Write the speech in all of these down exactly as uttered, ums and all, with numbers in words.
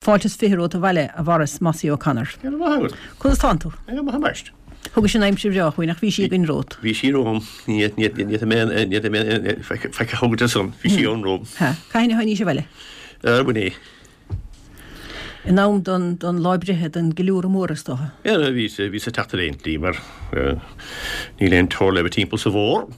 Fáilte is fiche romhat abhaile, a Mhaurice Mossie O'Connor. Conas tánn tú? Ambaist. Thugais an aimsir bhreá chugainn ach bhí sí againn romhat. Bhí sí romham. Ní feice thugad san, bhí sí ann romham. Cathain a tháinís abhaile? Ar bun é. In am don don lá breithe don gceiliúradh mór is dócha. Bhí bhí sa teacht ar aon tslí mar níl aon tóir le bheith timpeall sa bhfómhar.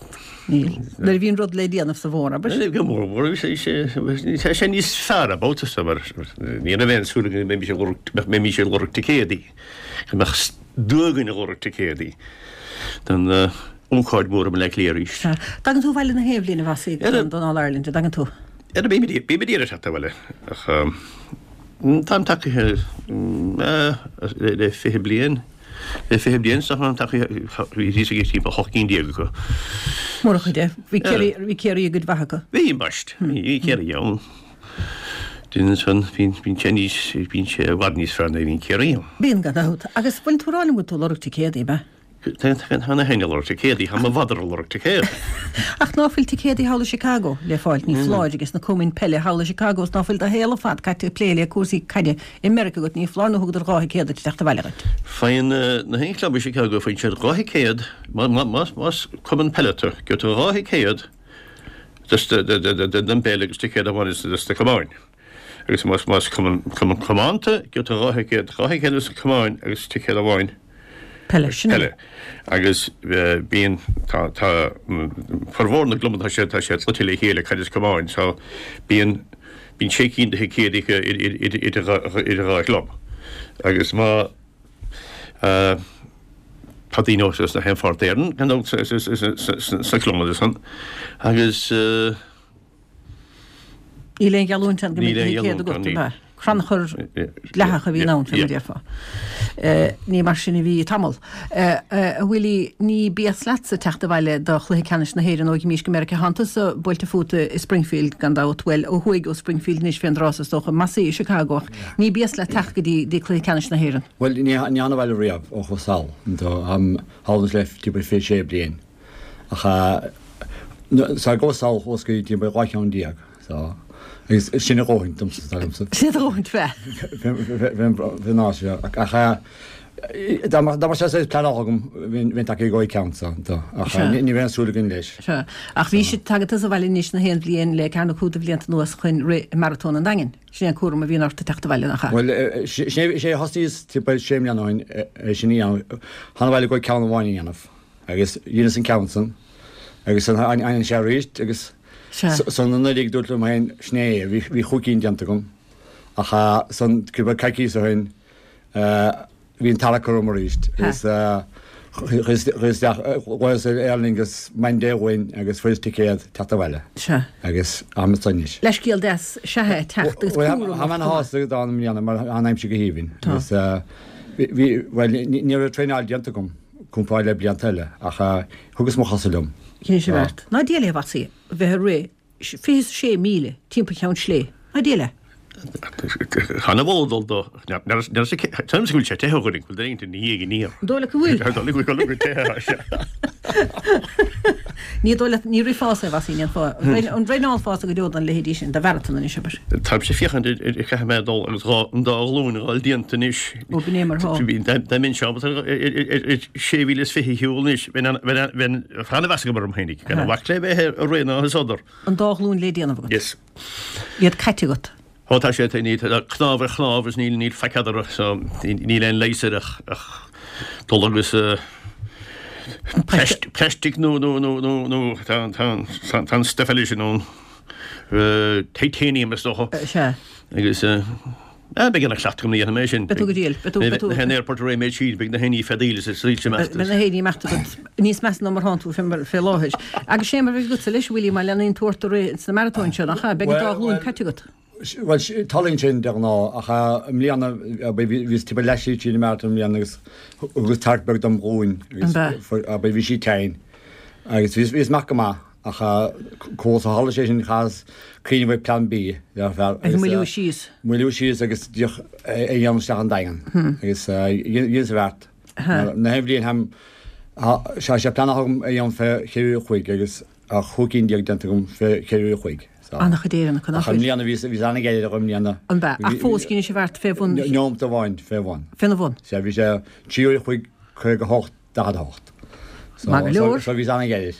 Níl. Nuair a bhíonn rud le déanamh sa bhfómhar, abair. Go mór mór, tá sé níos fearr about sa mar ní raibh aon súil go mbeimis ag lorg mbeimis ag lorg ticéadaí, go mbeadh dua againn ag lorg ticéadaí don ócáid mhór i mBaile Átha Cliath arís. Tagann tú abhaile na haon bhliain a Mhossie don All Ireland, an dtagann tú? Ara bím ag bím ag iarraidh teacht abhaile ach táim tagtha le fiche bliain. Le fiche bliain sa táim tagtha bhí thíos ag timpeall hocht gcinn déag acu. Mór an chuid é. Bhí Ciarraí bhí Ciarraí i gcuid mhaith acu. Bhí, ambaist. Bhí Ciarraí ann. Duine ansan bíonn bíonn sé níos bíonn sé i bhfad níos fearr nuair a bhíonn Ciarraí ann. Bíonn gan dabht. Agus bhfuil tú ag rá liom go bhfuil tú ag lorg ticéadaí, ab ea? Tá na héinne ag lorg ticéadaí, tá mo mhadra ag lorg ticéad. Ach ná fuil ticéadaí thall i Chicago le fáilt, ní foláir, ages na cumainn peile thall i Chicago is ná fuil do shaol ar fad caite ag plé le cúrsaí caide i Meiriceá agat, ní foláir nó thugadar dhá thicéad duit ag teacht abhaile dhuit. Faigheann na haon chlub i Chicago, faigheann siad dhá thicéad, más cumann peile tú, gheobhaidh tú dhá thicéad don bpeil agus ticéad amháin dos na camáin. Agus más cumann camáin tú, gheobhaidh tú dhá thicéad, dhá thicéad dos na camáin agus ticéad amháin. Peile, sin é. Agus bíonn, tá, tá, formhór na gclubanna, tá sé, tá sé cloite le chéile, caid is camáin, so bíonn, bíonn sé cinn de thicéid acu idir dhá, idir dhá chlub. Agus má, tá daoine os na haon pháirt d'Éirinn, gan dabht, sna clubanna san, agus. Níl aon gheallúint ann go mbeidh ticéad agat, ab ea? Crannchur dleathach a bhíonn ann, fé mar a déarfá. Ní mar sin a bhí tamall. A Willie, ní béas leatsa teacht abhaile do chluiche ceannais na hÉireann ó dh'imís go Meiriceá. Tánn tusa buailte fút i Springfield, gan dabht. Bhuel, ó thuaidh ó Springfield anois fén dtráth so is dócha, Mossie i Chicago, ach ní béas leat teacht go dtí cluiche ceannais na hÉireann. Bhuel, ní thána abhaile riamh ó chuas sall. Táim thall anois le timpeall fiche sé bliain. Ach sara gcuas sall chuas go dtí timpeall dhá cheann déag. So, agus sin a dhóthain domsa, dar liomsa. Sin a dhóthain fé. Fén áit seo. Ach dá mbeadh sé saghas pleanáilte agam, bheinn tagtha ag dhá cheann so. Ach ní raibh aon súil againn leis. Sea. Ach bhí sé, tagann tusa abhaile anois na haon bhliain le ceathair nó cúig de bhlianta anuas chun rith i Maratón an Daingin. Sin é an cúram a bhíonn ort ag teacht abhaile, nach ea? Bhuel, sin é a thosnaíos timpeall sé mbliana ó shin, é sin a dhéanamh. Thána abhaile go ceann amháin a dhéanamh. Agus dheineas an ceann san. Agus san tháinig sé arís agus san anuraidh dúirt liom féin sin é, bhí chúig cinn déanta agam. Ach san cúpla coicíos ó shin bhí an tarrac orm arís agus chuas isteach, ghlaos ar Aer Lingus Monday uainn agus fuaireas ticéad teacht abhaile agus táim anso anois. Leithscéal deas is ea é teacht agus cúram Tá mé ana-shásta dá i mbliana mar tá an aimsir go haoibhinn agus bhí, bhuel ní raibh traenáil déanta agam. comparáid le blianta eile, ach thugas mo chosa liom. Dheinis an bheart. Ná diail é, a Mhossie, a bheith ag rith fiche is a sé míle timpeall Cheann Sléibhe. Ná diail é. Chan i bhfolach dul do. Tuigim go bhfuil sé te ó dhuine, go bhfuil duine ina dhiaidh aniar. An dóigh leat go bhfuil? An dóigh leat go bhfuil te sé. Ní dóigh leat, ní rithfeása é, a Mhossie, ní an fáth. An dtraenálfása go deo don leithéidí sin, do mharatón anois, abair. Táimse ag féachaint ar caithfidh mé dul agus dhá, an dá ghlúin a fháil déanta anois. Ó, b'in é mar atá. Dá mbeinnse ábalta ar sé mhíle is fiche a shiúl anois, bheinn bheinn an-mheas agam orm féinig, gan a bhac le bheith ag rith ná is sodar. An dá ghlúin le déanamh agat. Yes. Iad caite agat. Ó tá sé, tá cnámh ar chnámh is níl níl faic eadarthu so níl aon leigheas air ach ach dul agus plaistic nó nó nó nó nó tá tá tá an stuif eile sin ann titanium is dócha. Sea. Agus beidh ana chleachtadh agam nuair a dhéanfaidh mé sin. Beidh tú go diail. Beidh tú beidh tú. Beidh na haon airport ar réidh siad beidh na haon feadaíl is is soilse imeachta. Beidh na haon imeachta agat níos measa ná mar thánn tú fé láthair. Agus sé mar bheidh agatsa leis a Willie má leanaíonn tú ort ag rith sna maratóin seo nach ea? Beidh an dá ghlúin caite agat. Bhuel, tarlaíonn sin de ghnáth, ach i mbliana, bhíos timpeall leath-slí tríd an marathon i mbliana agus thugas tarrac beag dom ghlúin agus abair bhí sí tinn agus bhíos amach go maith ach comh tharla sé sin chaitheas cuimhneamh ar plean B le fear agus moilliú síos. Moilliú síos agus díreach é a dhéanamh isteach an Daingean agus dheineas an bheart. Na haon bhliain tá sé pleanáilte agam é a dhéanamh fé cheithre uair a chloig agus tá chúig cinn déag déanta agam fé cheithre uair a chloig. An-chuid Éireannach Ach i mbliana bhí bhí an-ghairid i mbliana. An b'ea? Ach fós dheinis sibh thart fé bhun. Neomat amháin fé bhun. Féna bhun. Sea, bhí sé trí uair a chloig caoga a hocht daichead a hocht. Maith go leor. So bhí an-ghairid.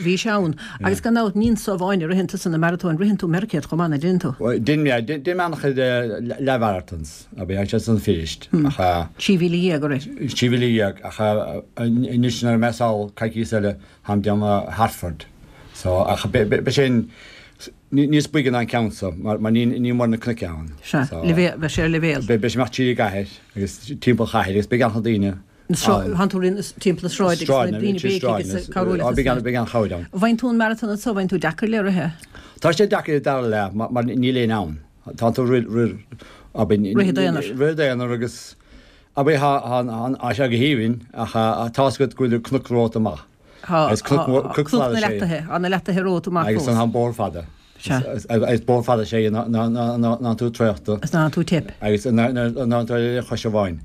Bhí sé ann. Agus gan dabht ní anso amháin a ritheann tusa na maratóin, ritheann tú Meiricéad chomh maith, nach dtéann tú? Dhein mé, dhein mé an-chuid leath-mharathons, a bhí sé san finished. Ach. Trí mhíle dhéag a rith. Trí mhíle dhéag, ach anois nuair a mbeidh sall coicíos eile, táim ag déanamh Hartford. So, ach beidh sin níos boige ná an ceann so, mar ní mór na cnoic ann. Sea, beidh sé ar leibhéal. Beidh sé amach tríd an gcathair agus timpeall an chathair agus beidh an-chuid daoine. Tánn tú ag rith timpeall na sráide agus na daoine béicigh agus ag cabhrú leat. Beidh beidh an-chabhair ann. An bhfaigheann tú an maratón anso, bhfaigheann tú deacair le rith é? Tá sé deacair i dara leath mar níl éinne ann. Tánn tú rith rith Rith i d'aonar. Rith i d'aonar agus abair tá sé go haoibhinn ach tá's agat go bhfuil cnoc romhat amach. Tá cnoc na leachtaithe, tá na leachtaithe romhat amach fós. Agus an bóthar fada. Is bóthar fada sé ná tú traochta. Is ná tú teip. Agus ná tú ar chois amháin.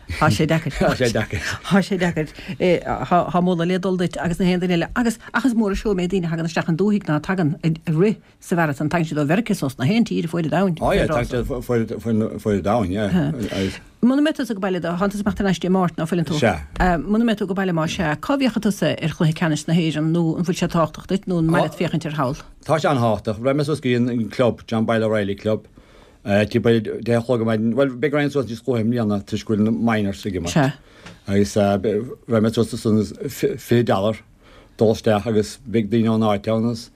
Tá sé deacair. Tá sé deacair. Tá sé deacair. Tá moladh le dul duit agus na haon duine eile. Agus ach is mór an seó méid daoine a thagann isteach an dúthaigh ná tagann ag rith sa mharatón. Tagann siad ó Mheiriceá is ós na haon tír fuaid an domhain. Ó yeah, tagann siad fuaid an domhain, yeah. Muna mbeidh tusa ag baile, tánn tusa ag imeacht thar n-ais Dé Máirt, ná fuileann tú? Sea. Muna mbeidh tú ag baile má sea, cá bhféachfaidh tusa ar chluiche ceannais na hÉireann nó an bhfuil sé tábhachtach duit nó an maith leat féachaint ar thall? Tá sé an-thábhachtach. Raghaidh mé suas go dtí an club, John Boyle O'Reilly Club, timpeall deich a chlog ar maidin. Bhuel, beidh roinnt suas níos luaithe i mbliana toisc go bhfuil na minors ag imirt. Sea. Agus raghaidh mé suas ansan fiche dollar dul isteach agus beidh daoine ón áit ann agus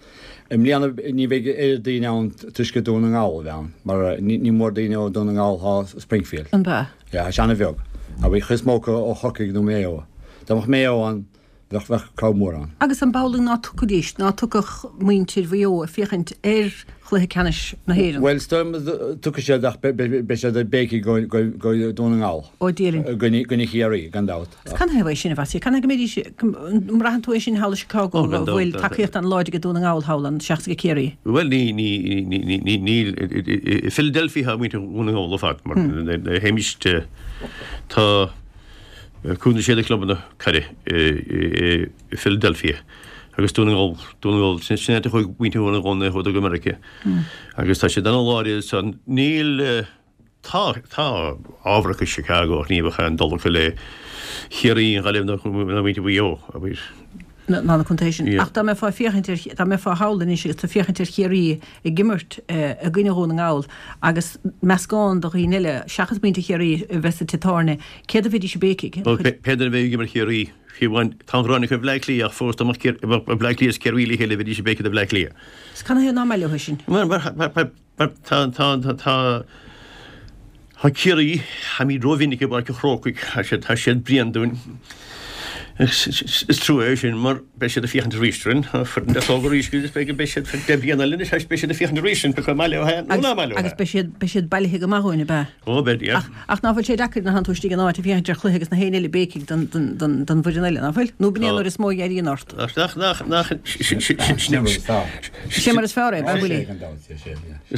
i mbliana ní bheidh oiread daoine ann toisc gur Dún na nGall a bheidh ann mar ní mór daoine ó Dún na nGall atá Springfield. An b'ea? Yeah, tá sé an-bheag. Ach bhí níos mó acu ó Chorcaigh nó Maigh Eo. Dá mbeadh Maigh Eo ann bheadh bheadh crowd mór ann. Agus an b'amhlaidh ná tiocfaidís, ná tiocfadh muintir Mhaigh Eo ag féachaint ar chluiche ceannais na hÉireann? Bhuel, is dóigh liom tiocfaidh siad ach beidh siad ag béicigh go go Dún na nGall. Ó Dia linn. I gcoinne Chiarraí, gan dabht. Canathaobh é sin, a Mhossie? Canathaobh go mbeidís, an mbraitheann tú é sin thall i Chicago, go bhfuil tacaíocht an-láidir ag Dún na nGall thall ann seachas ag Ciarraí? Bhuel, ní, ní, ní, ní, ní, níl, i Philadelphia tá muintir Dhún na nGall ar fad, mar théimis, tá cúig nó sé de chlubanna caide i Philadelphia agus Dún na nGall, Dún na nGall, sin áit a chuaigh muintir Dhún na nGall nuair a chuadar go Meiriceá. Agus tá siad an-láidir ansan. Níl. Tá, tá ábhar acu i Chicago ach ní bheadh aon dul acu le Ciarraí, an Ghaillimh ná muintir Mhaigh Eo, abair. Ná na contaetha sin. Ach dá mbeifeá ag féachaint ar, dá mbeifeá thall anois agus tú ag féachaint ar Chiarraí ag imirt i gcoinne Dhún na nGall agus meascán de dhaoine eile seachas muintir Chiarraí a bheith sa tigh tábhairne, céard a bheidís ag béicigh? Bhuel, pé duine a bheidh ag imirt Chiarraí, fiú amháin, tá an ghráin acu ar Bhleá Cliath ach fós dá mbeadh Bleá Cliath is Ciarraí le chéile bheidís ag béicigh do Bhleá Cliath. Is canathaobh nach maith leo é sin? Mar, mar, mar, Mar tá, tá, tá, tá, tá Ciarraí, táimid rómhinic i bPáirc an Chrócaigh, tá siad, tá siad bréan dúinn. Is, is trua é sin mar beidh siad ag féachaint arís orainn, tá foireann deas óg arís agus beidh, beidh siad deich mbliana eile anois, beidh siad ag féachaint arís orainn, pé maith leo é nó ná maith leo é. Agus beidh siad, beidh siad bailithe go maith dhúinn, ab ea? Ó, beidh, yeah. Ach, ach ná fuil sé deacair nuair a thánn tú istigh in áit ag féachaint ar chluiche agus na héinne eile ag béicigh don, don, don, don bhfoireann eile, ná fuil? Nó b'in é an uair is mó a éiríonn ort. Nach, nach, nach, nach, sin, sin, sin, Sin é mar is fearr é, ab ea, Willie?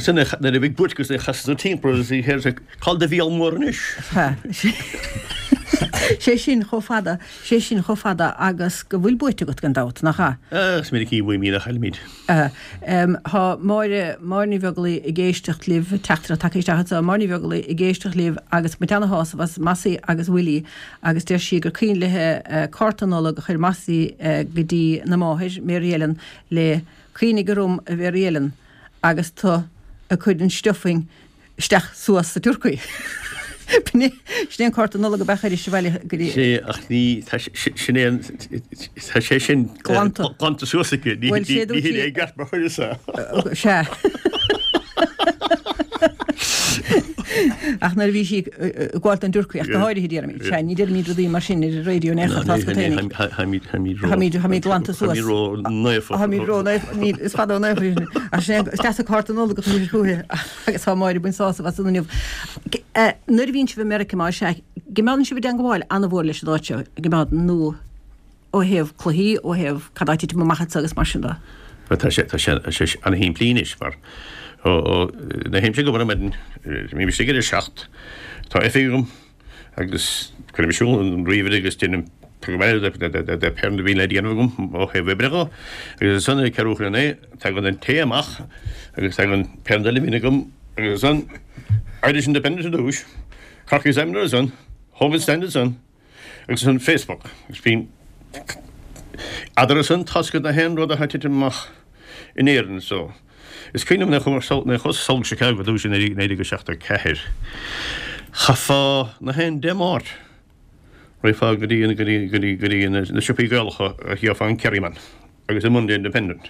Sin é, nuair a bhí buairt agus é chasas tú timpeall agus bhí sé cá bhfuil do mhíol mór anois. Sé sin chomh fada, sé sin chomh fada agus go bhfuil buaite agat gan dabht, nach ea? Is minic a bhuaimid a chaillimid. Tá Máire, Máire Ní Bheaglaoí ag éisteacht libh, teachtaireacht tagtha isteach anseo, Máire Ní Bheaglaoí ag éisteacht libh agus ag baint ana-shásamh as Mossie agus Willie agus deir sí gur cuimhin léi cárta Nollag a chuir Mossie go dtí na máthair, Mary Ellen, le Cuimhnigh orm a Mhary Ellen agus tú ag cur an stuffing isteach suas sa turcaí. B'in é, sin é an cárta Nollag ab ea a chuiris abhaile go dtí. Sé, ach ní, tá sin é an, tá sé sin Glanta. glanta suas aici, ní Bhuel, sé ní dúirt hin sí. é i gceart mar chuireas é. Sea. Ach nuair a bhí sí ag gabháil don dturcaí, ach go háirithe déarfaimid, sea, ní deirimid rudaí mar sin ar an raidió in aon chor, tá's agat féinig. Táimid, táimid glanta suas. Táimid ró-naofa. Táimid ró-naofa, níl, is fada ó naofa sin. Ach sin é, is deas an cárta Nollag a chuir sí chuici agus tá Máire ag baint sásamh as an inniu. Nuair a bhíonn sibh i Meiriceá, má sea, coimeádann sibh i dteangmháil an-mhór leis an áit seo, coimeádann, nó ó thaobh cluichí, ó thaobh cad tá ag titim amach anseo agus mar sin de. Bhuel, tá sé, tá sé, tá sé an-shimplí anois mar ó, ó, nuair a théimse ag obair ar maidin, bím istigh ar a seacht, tá oifig agam agus cuirim ar siúl an ríomhaire agus déanaim Tagann de pé rud a bhíonn le déanamh agam ó thaobh oibre dhó agus ansan ag ceathrú chun a naoi tagann an tae amach agus tagann pé rud eile a bhíonn agam agus ansan Irish Independent ar dtús, Cork Examiner ansan, Hogan Stand ansan agus ansan Facebook agus bíonn eadarthu san tá's agat na haon rud atá ag titim amach in Éirinn so is cuimhin liom nuair a chuas sall go Chicago ar dtús i naoi déag seachtó ceathair chaithfeá na haon Dé Máirt Raghfá go dtí go dtí go dtí go dtí na siopaí Gaelacha a gheofá an Kerryman agus an Monday Independent.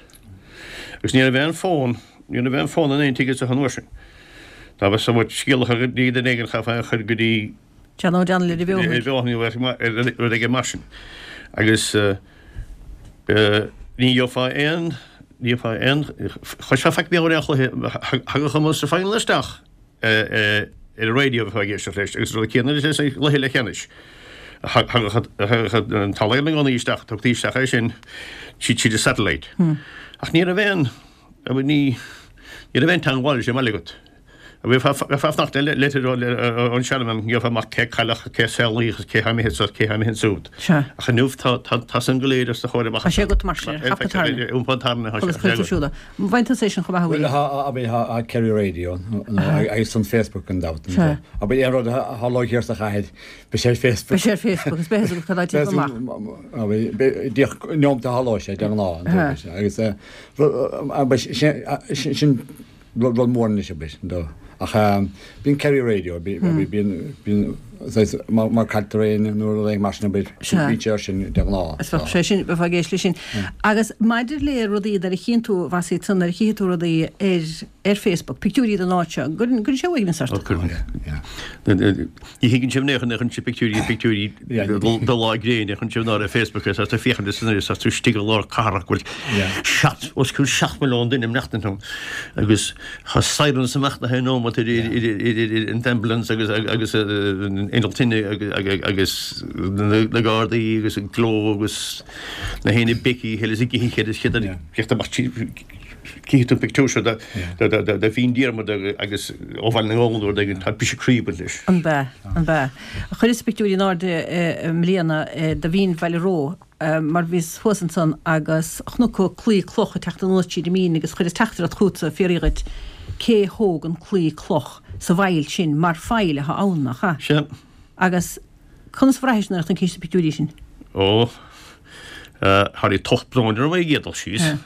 Agus ní raibh aon fón, ní raibh aon fón in aon tigh anseo an uair sin. Dá mbeadh sórt scéal a chur go dtí duine éigin chaithfeá é a chur go dtí John O'Donnell ar an Bheothain. Ar an Bheothain nó rud éigin mar sin. Agus ní gheofá aon, ní gheofá aon, chloisfeá faic beo ar aon chluiche, thagadh an Munster Final isteach. ar an raidió a bheifeá ag éisteacht leis agus an rud céanna leis an gcluiche leathcheannais. Thagadh an All-Ireland i gcónaí isteach, tugtaí isteach é sin tríd an satellite. Ach ní raibh aon, ní raibh aon teagmháil leis an mbaile agat. Bheifeá ag fanacht le litir ón seanmham, gheofá amach cé cailleadh, cé saolaíodh agus cé tá imithe anso, cé tá imithe ansúd. Ach inniu tá san go léir os do chomhair amach. Tá sé agat mar sin, ar hapa tairne. Iompar tairne, tá sé agat. Bhain tusa é sin chomh maith, a Bhuel, tá Kerry Radio agus an Facebook gan dabht. Abair aon rud a tharlóidh thiar sa chathair, beidh sé ar Facebook. Beidh sé ar Facebook agus beidh a fhios agat cad atá ag titim amach. Díreach neomat a tharlóidh sé, de ghnáth. Agus sin rud mór anois, abair. Ach bíonn Kerry Radio, bíonn, bíonn, má cailltear éinne nó rud éigin mar sin, abair, bíonn sé ar sin de ghnáth. Is bheadh sé sin, bheifeá ag éisteacht leis sin. Agus maidir le rudaí nuair a chíonn tú, a Mhossie, nuair a chífidh tú rudaí ar, ar Facebook, pictiúirí den áit seo, an gcuireann sé uaigneas ort? Ó, cuireann. Ní thuigeann sibh in aon chor, ní chuireann sibh pictiúirí, pictiúirí de lá gréine, chuireann sibh ar Facebook agus tá tú ag féachaint is tá tú istigh i lár cathrach go bhfuil seacht, os cionn seacht milliún duine ag maireachtaint ann agus tá sirens amach na haon nóiméad idir an ambulance agus agus an inneall tine agus na gardaí agus an gleo agus na haon béicigh is ag ithe is chéad amach Cífidh tú an pictiúr seo de Mhín Diarmada agus ó Bhaile na nGall nó rud éigin, tá briseadh croí ag baint leis. An b'ea? An b'ea? Chuireas pictiúirí in airde i mbliana de Mhín Bhaile Reo mar bhíos thuas ansan agus chonac claí cloch ag teacht anuas tríd an mín agus chuireas teachtaireacht chugatsa ag fiafraí dhuit cé thóg an claí cloch sa bhfaill sin mar faill atá ann, nach ea? Sea. Agus conas a bhraithis nuair a chonaicis na pictiúirí sin? Ó, tháinig tocht bróin orm ar an gcéad dul síos.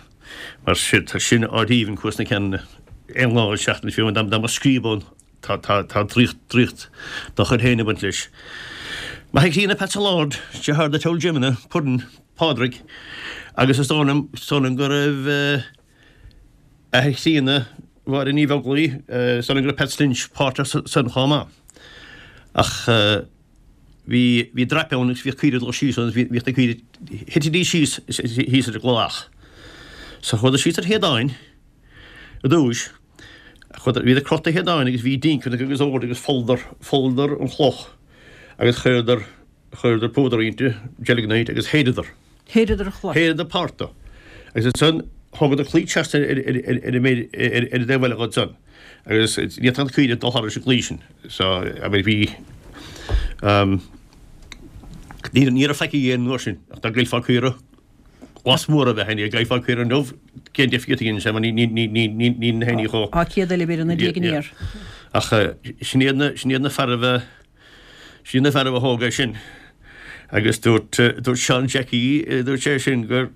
Mar sin, tá sin áit aoibhinn Cuas na Ceananna aon lá den seachtain fiú dá mba scríob ann tá tá tá draíocht draíocht dá chuid féin ag baint leis. M'athair críonna Pat Allard, deartháir do Old Jimina, Puddin, Pádraig agus is dóigh liom is dóigh liom go raibh athair chríonna Mháire Ní Bheaglaoi, is dóigh liom go raibh Pat Lynch páirteach san chomh maith. Ach bhí bhí drape ann agus bhíodh caoirigh ag dul síos ann agus bhíodh na caoirigh, thitidís síos thíos ar an gcloch. So chuadar síos ar shéideáin i dtúis, chuadar, bhíodar crochta ar shéideáin agus bhí dinceanna agus ord agus pholladar, pholladar an chloch agus chuireadar, chuireadar púdar inti, gelignite, agus shéideadar. Shéideadar an chloch. Shéideadar páirt de. Agus ansan thógadar claí trasna ar ar an méid ar an dtaobh eile dhó ansan. Agus ní fhéadfadh na caoirigh dul thairis an gclaí sin. So, I mean, bhí, um, ní ní raibh faic á dhéanamh an uair sin ach dá gcaillfeá caora glas mór a bheith ann, dá gcaillfeá caora inniu, cén difríocht a dhéanann sé mar ní ní ní ní ní ní na héinní chomh. Tá céad eile b'fhéidir ina diaidh aniar. Ach sin iad na sin iad na fearaibh a sin iad na fearaibh a thóg é sin. Agus dúirt dúirt Seán Jackie, dúirt sé sin gur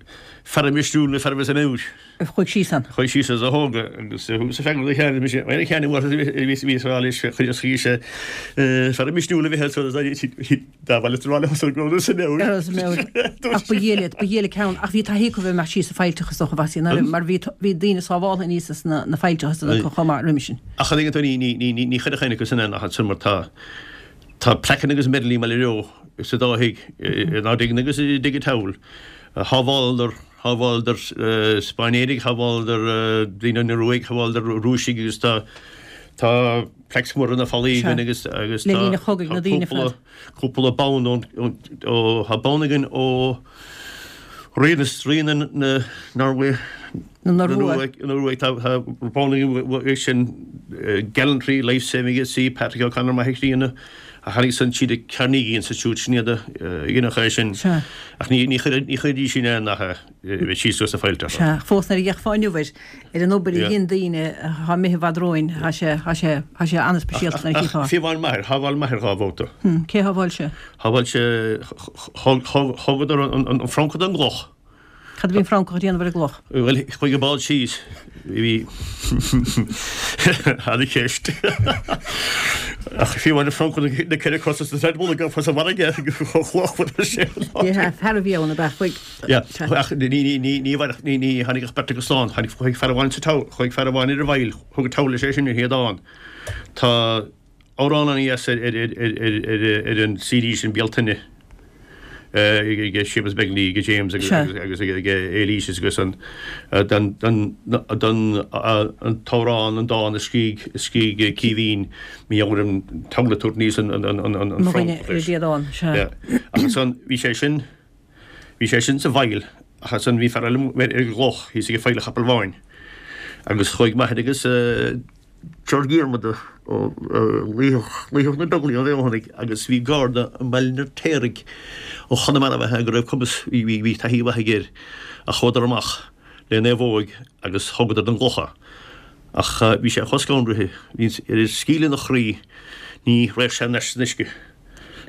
fear misniúil na fearaibh as an Iúir. A chuaigh síos ann. A chuaigh síos is a thóg agus thugas freagra do Sheán, mise, a Sheáin a bhí bhí ag rá leis, chuir sé fear misniúil a bhí ann dá bhaile sa bhaile thusa go raibh sa mbeoir. Ar sa mbeoir. Ach ba dhiail iad, ba dhiail a ceann. Ach bhí taithí acu bheith amach síos sa faillteach is dócha, a Mhossie, mar bhí bhí daoine sábháltha aníos as na na faillteacha san acu chomh maith roimhe sin. Ach an dtuigeann tú, ní ní ní ní ní chuirfeadh éinne acu san ach ansan mar tá tá plaiceanna agus medailí i mBaile Reo sa dá thigh, in Ard Aidhne agus i dTigh an tSabhail. Shábháladar Shábháladar Spáinnéirigh, shábháladar daoine ón Ioruaidh, shábháladar Rúisigh agus tá tá plaques móra ar na fallaí againn agus agus tá cúpla cúpla bonn ón ó tá bonn againn ó Rí na Rí na na Norway Na Ioruaidh. Na Ioruaidh tá tá sin gallantry life saving at sea Patrick O'Connor maith críonna a tháinig san siad ag Carnegie Institute sin iad a é sin. Sea. Ach ní ní chuir ní chuirdís sin air nach bheith síos sa fáilte. Sea, fós nuair a d'fhéachfá inniu air ar an obair a dhein daoine atá imithe i bhfad romhainn, tá sé tá sé tá sé an-speisialta nuair a chífeá. Fiú amháin m'athair, shábháil m'athair dhá bhabhta. Cé a shábháil sé? Shábháil sé thógadar an francach den gcloch. Cad a bhí an francach ag déanamh ar an gcloch? Bhuel, chuaigh an bád síos. Bhí ana-cheist. Ach fiú amháin an francach na ceithre cosa sa treadmill ag fos an bhfarraige chomh chloch sin. Yeah, fear a bhí ann ab ea? Chuaigh. Yeah, ach ní ní ní ní ní ní tháinig ach beirt acu slán. Tháinig chuaigh fear amháin sa togha, chuaigh fear amháin ar an bhfaill, thug an togha leis é sin ar shéideán. Tá amhrán ana-dheas ar ar ar ar ar ar an CD sin Bealtaine. ag Séamus Begley, ag James agus agus ag Éilís agus an don don don an t-amhrán an dán a scrígh a scrígh Caoimhín mí ar an tabla níos an an an an an front. Sea. Ach ansan bhí sé sin bhí sé sin sa bhfaill ach ansan bhí fear eile ar an gcloch thíos ag Faill an Chapaill Bháin agus chuaigh m'athair agus George Dhiarmada ó Laoighseach na Beaglaoí ó Bhéal agus bhí garda i mBaile an Fheirtéaraigh ó Chonamara ab ea go raibh cumas bhí bhí taithí mhaith aige air ach chuadar amach le naomhóig agus thógadar den gcloch é. Ach bhí sé chomh scanraithe, bhí ar scaoileadh ina chroí, ní raibh sé anois san uisce.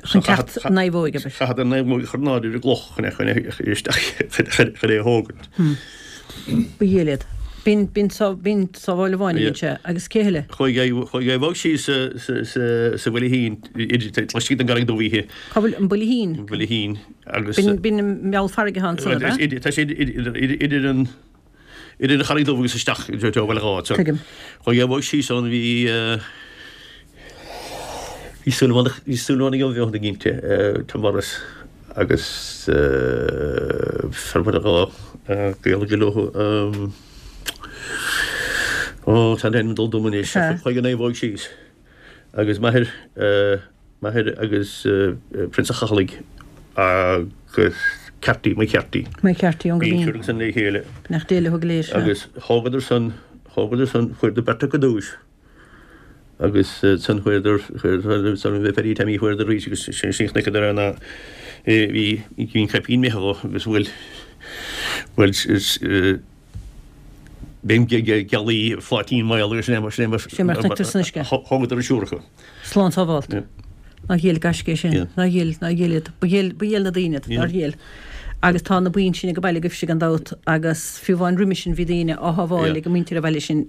Chun teacht naomhóig abair. Chaitheadar naomhóig a chur in airde ar an gcloch chun é chun é isteach chun é a thógaint. Ba dhiail iad. B'in b'in b'in sábháil amháin a dhein sé agus cé eile? Chuaigh chuaigh a bhog síos sa sa sa sa Bhuilithín laistigh den gCarraig Dubh oíche. Cá bhfuil an Builithín? An Builithín agus. B'in b'in i mbéal farraige atá ansan ab ea? Tá sé idir idir an idir an Charraig Dubh agus isteach i dtreo Bhaile Átha. Tuigim. Chuaigh a bhog síos ann bhí bhí Súilleabhánach bhí Súilleabhánaigh ó Bheothanaigh inti, Tom Morris agus fear Bhaile Átha Gael go leo Ó tá an t-ainm ag dul dom anois. Chuaigh an naomhóg síos agus m'athair m'athair agus Prionsa Chathallaigh agus Carty, Mike Carty. Mike Carty ón Bhí gCoimín. an triúr san le chéile. Beannacht Dé leo go léir, sea. Agus thógadar san, thógadar san, fuaireadar beirt acu duais. Agus san fuaireadar, fuaireadar san bhí Paddy Tommy fuaireadar arís agus sin sin chonaiceadar ar na bhí bhí an caipín imithe dhó agus bhuel bhuel is bím gealaí phláitín maol agus sin é mar sin é mar Sin mar chonaiceadar san uisce. Thógadar an triúr acu. Slán sábhálta. Yeah. Nár ghéill gaisce é sin. Yeah. Nár ghéill, nár ghéill iad. Ba ghéill, ba ghéill na daoine iad. Yeah. Nár ghéill. Agus tá na boinn sin ag an baile agaibhse gan dabht agus fiú amháin roimis sin bhí daoine á shábháil Yeah. ag an muintir an bhaile sin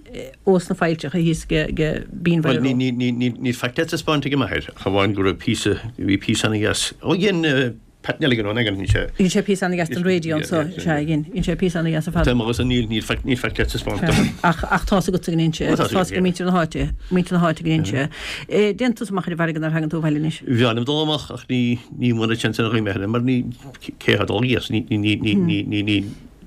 ós na faillteacha thíos ag ag Binn Bhuel Bhaile ní Ró. ní ní ní níl faic le taispeáint ag m'athair ach amháin go raibh píosa bhí píosa ana-dheas. Ó dhein Pat Nelligan ón Agan, sé. Dhein sé píosa ana-dheas don raidió anso, sea, dhein, dhein sé píosa ana-dheas ar fad. Tá agus níl, níl faic, níl faic le taispeáint dom. Ach, ach tá's agatsa go ndein sé, Ó, tá's tá's ag agam, muintir na háite, muintir na háite go ndein sé. Dtéann tusa amach ar an bhfarraige nuair a thagann tú abhaile anois? Bhí anam dul amach ach ní, ní mura seans ar dhaoine eile mar ní, cé atá dul thíos, ní, ní, ní, ní, ní, ní, ní,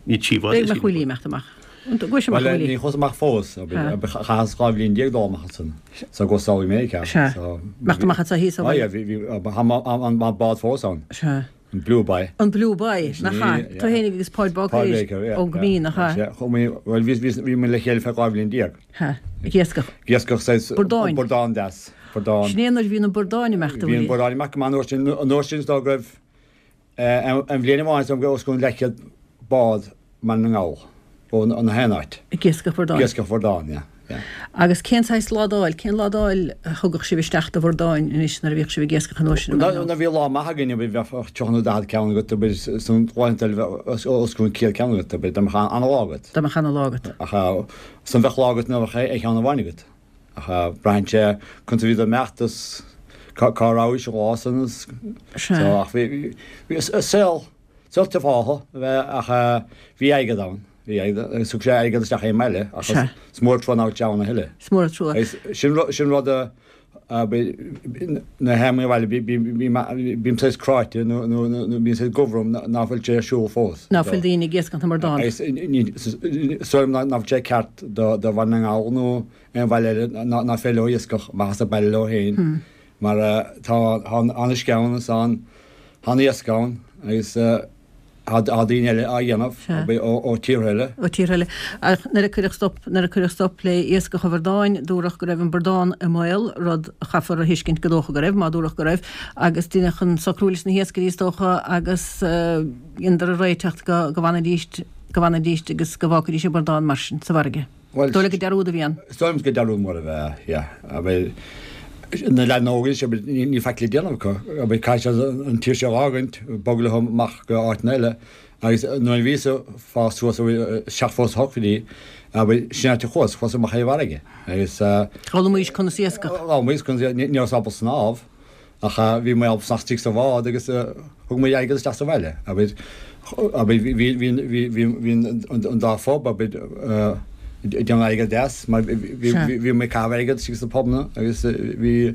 ní tchífeá B'fhéidir go mbeadh Willie ag imeacht amach. An gcuaigh sé amach, Bhuel, Willie? ní chuas amach fós, chaitheas dhá bhliain déag dul amach ansan, so go samhlaigh mé ceart. Sea. So, Imeacht amach anso thíos ó Ah, yeah, bhaile. bhí, bhí, tá an bád fós ann. Sea. An Blue Boy. An Blue Boy, Sin nach é, ea? yeah. Tú fhéinig agus Páid Paul Baker Baker, yeah. ón gCoimín, nach ea? Sea, chuaigh mé, bhuel, bhí, bhí, bhí mé le chéile feadh dhá bhliain déag. Sea, ag iascach. Ag iascach saghas Bordáin. Bordán deas, bordán. Sin é nuair a bhí na bordáin ag imeacht, a Bhí an Willie. bordán ag imeacht go maith an uair sin, an uair sin is dóigh go raibh, eh, an bhliain amháin is dóigh go raibh os cionn leathchéad bád i mBaile na nGall, ó na haon áit. Ag iascach bhordáin. Ag iascach bhordáin, yeah, yeah. Agus cén saghas ládáil, cén ládáil a thugadh sibh isteach do bhordáin anois nuair a bhíodh sibh ag iascach an uair sin i Nuair mBaile na a bhí lá maith againn bheadh tríocha nó daichead ceann agat, b'fhéidir san laethanta eile bheadh os cionn céad ceann agat, b'fhéidir dá mbeadh an-lá agat. Dá mbeadh an-lá agat. Ach san bheadh lá agat nach mbeadh aon cheann amháin agat. Ach braitheann sé conas a bhí do imeacht is cá rabhais an lá san is Sea. so ach bhí bhí saol saol tufáilte a bheith ach bhí airgead ann. Bhí airgead agus thug sé airgead isteach ón mbaile ach Sea. is mór an trua nach bhfuil sé ann a thuilleadh. Is mór an trua. Agus sin ru- sin rud a a nuair a théim abhaile bím saghas cráite nó nó nó bíonn saghas gomh orm nach bhfuil sé ar siúl fós. Ná fuil daoine ag iascach na mbordán. Agus is dóigh liom nach bhfuil sé ceart do do Bhaile na nGall nó aon bhaile eile ná féidir leo iascach amach as an baile leo féin mar tá an uisce ann is an an iasc ann agus Tá daoine eile á dhéanamh ó tíortha eile. Ó tíortha eile. Ach nuair a cuireadh stop, nuair a cuireadh stop le iascach an bhradáin, dúradh go raibh an bradán i mbaol, rud a chaithfear a thuiscint go dócha go raibh, má dúradh go raibh, agus deineadh an socrú leis na hiascairí is dócha agus dheineadar an réiteach go go bhfanfaidís, go bhfanfaidís agus go bhfágfaidís an bradán mar sin sa bhfarraige. Bhuel, Dóigh leat gur dearúd a bhí ann? Is dóigh liom gur dearúd mór a bhí ann, yeah. Abair, na leaideanna óga anois, abair, níl faic le déanamh acu. Abair, caithfidh siad an tír seo a fhágaint, bogadh leo amach go áiteanna eile. Agus nuair a bhíos ag fás suas, abair, seachtó is a hocht go dtí, abair, sin áit a chuas, chuas amach ar an bhfarraige. Agus. D'fhoghlaimís conas iascach. D'fhoghlaimís conas, ní rabhas ábalta snámh. Ach bhí mé ábalta snámh istigh sa bhád agus thug mé airgead isteach sa bhaile. Abair, abair, bhí, bhí, bhí, bhí, bhí an dá phub, abair, ag déanamh airgead deas mar bhí, bhí, bhí mé ag caitheamh airgead istigh sna pubanna agus bhí,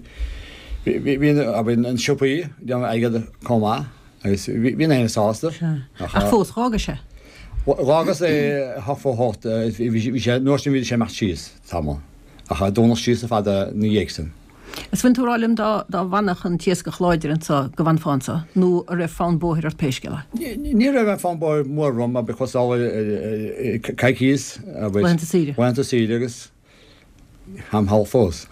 bhí, bhí, abair, na siopaí ag déanamh airgead chomh maith agus bhí, bhí na héinne sásta. Ach fós, dh'fhágais é. Dh'fhágas é a hocht fó hocht, bhí, bhí sé, an uair sin bhí sé ag imeacht síos tamall ach dúnadh síos ar fad ina dhiaidh sin. Is bhfuil tú ag rá liom dá dá bhfanfadh an t-iascach láidir anso go bhfanfá anso, nó an raibh fonn bóthair ort pé scéal é? Ní raibh aon fonn bóthair mór orm, abair chuas sall coicíos, abair. Laethanta saoire. Laethanta saoire agus táim thall fós.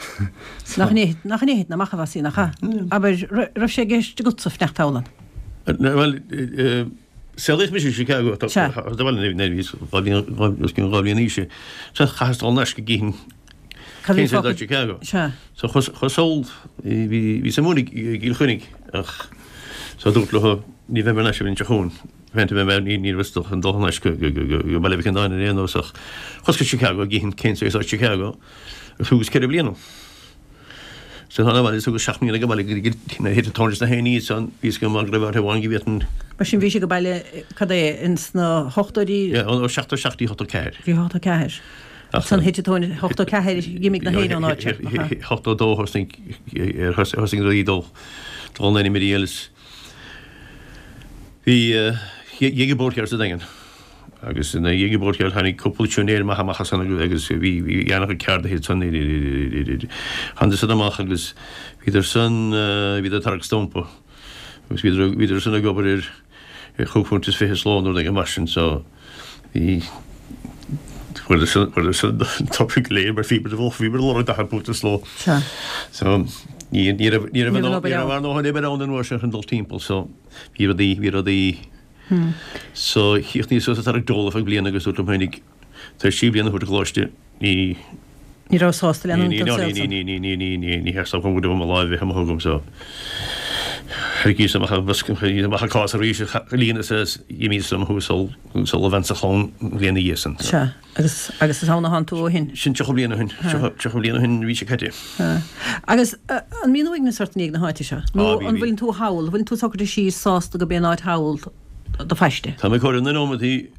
Nach nach in é thiteann amach a Mhossie, nach ea? Abair, raibh sé i gceist agatsa fanacht thall ann? Bhuel, saolaíodh mise i Chicago, tá bhuel, nuair a bhíos dhá bhliain, os cionn dhá bhliain d'aois, so chaitheas dul thar n-ais go gcífinn cén saol atá i Chicago. Sea. So chuas sall, bhí, bhíos ag múineadh i gCill Chainnigh ach so dúrt leo ní bheidh mé thar n-ais an bhliain seo chugainn, féin bheidh mé, ní, ní raibh chun dul thar n-ais go, go, go, go Baile Mhic Andáin ar aon nós ach chuas go Chicago go gcífinn cén saol atá i Chicago agus thugas ceithre bliana. So thána abhaile is thugas seacht mbliana ag baile go dtí nuair a thit an tóin des na héinní ansan bhí fhios agam go raibh áit amháin go bhféadfainn Mar sin bhí sé ag baile cad é ins na hochtóidí? Yeah, ó seachtó seacht go dtí ochtó ceathair. Bhí ochtó ceathair. Ansan thit an tóin ochtó ceathair d'imigh na héinne ón áit seo, nach ea? Ochtó dó thosnaigh thosaigh rudaí dul dul in ainm a is bhí dh'éag an Bord Ceoil sa Daingean agus ina dhiaidh an Bord Ceoil tháinig cúpla siúinéir maith amach as san agus bhí bhí an-chuid ceardaithe ansan tháinig san amach agus bhíodar san bhíodar ag tarrac stumpa agus bhíodar bhíodar san ag obair ar ar chúig phunt is fiche sa ló nó rud éigin mar sin so bhí fuaireadar san fuaireadar san an tobair go léir mar bhíomar bhíomar ag lorg daichead punt sa ló. Sea. So ní ní raibh ní raibh Ní raibh an obair ní raibh ann. ár ndóthain oibre ann an uair sin chun dul timpeall so bhí rudaí bhí rudaí so chríochnaíos suas ag tarrac dole ar feadh bliana agus dúrt liom féinig tar éis trí bliana a thabhairt don choláiste ní Ní raibh sásta ní leanúint ní den ní saol ní san. ní ní ní ní ní ní theastódh uaim go raibh mo láimh a bheith amuigh agam so tharraingíos amach an bosca tharraingíos amach an cás arís a líonas is d'imíos liom thuas sul sul a bhean sa chlann an bhliain ina dhiaidh san so. Sea, agus agus is ann a thánn tú ó shin. Sin tríocha bliain ó shin, tríocha tríocha bliain ó shin an mhí seo caite. Sea. Agus an mbíonn uaigneas ort i ndiaidh na háite seo? Á Nó bhí an bhí. bhfuileann tú thall, an bhfuileann tú socraithe síos sásta go b'é an áit thall do phaiste? Tá mé ag comhaireamh na nóimeataí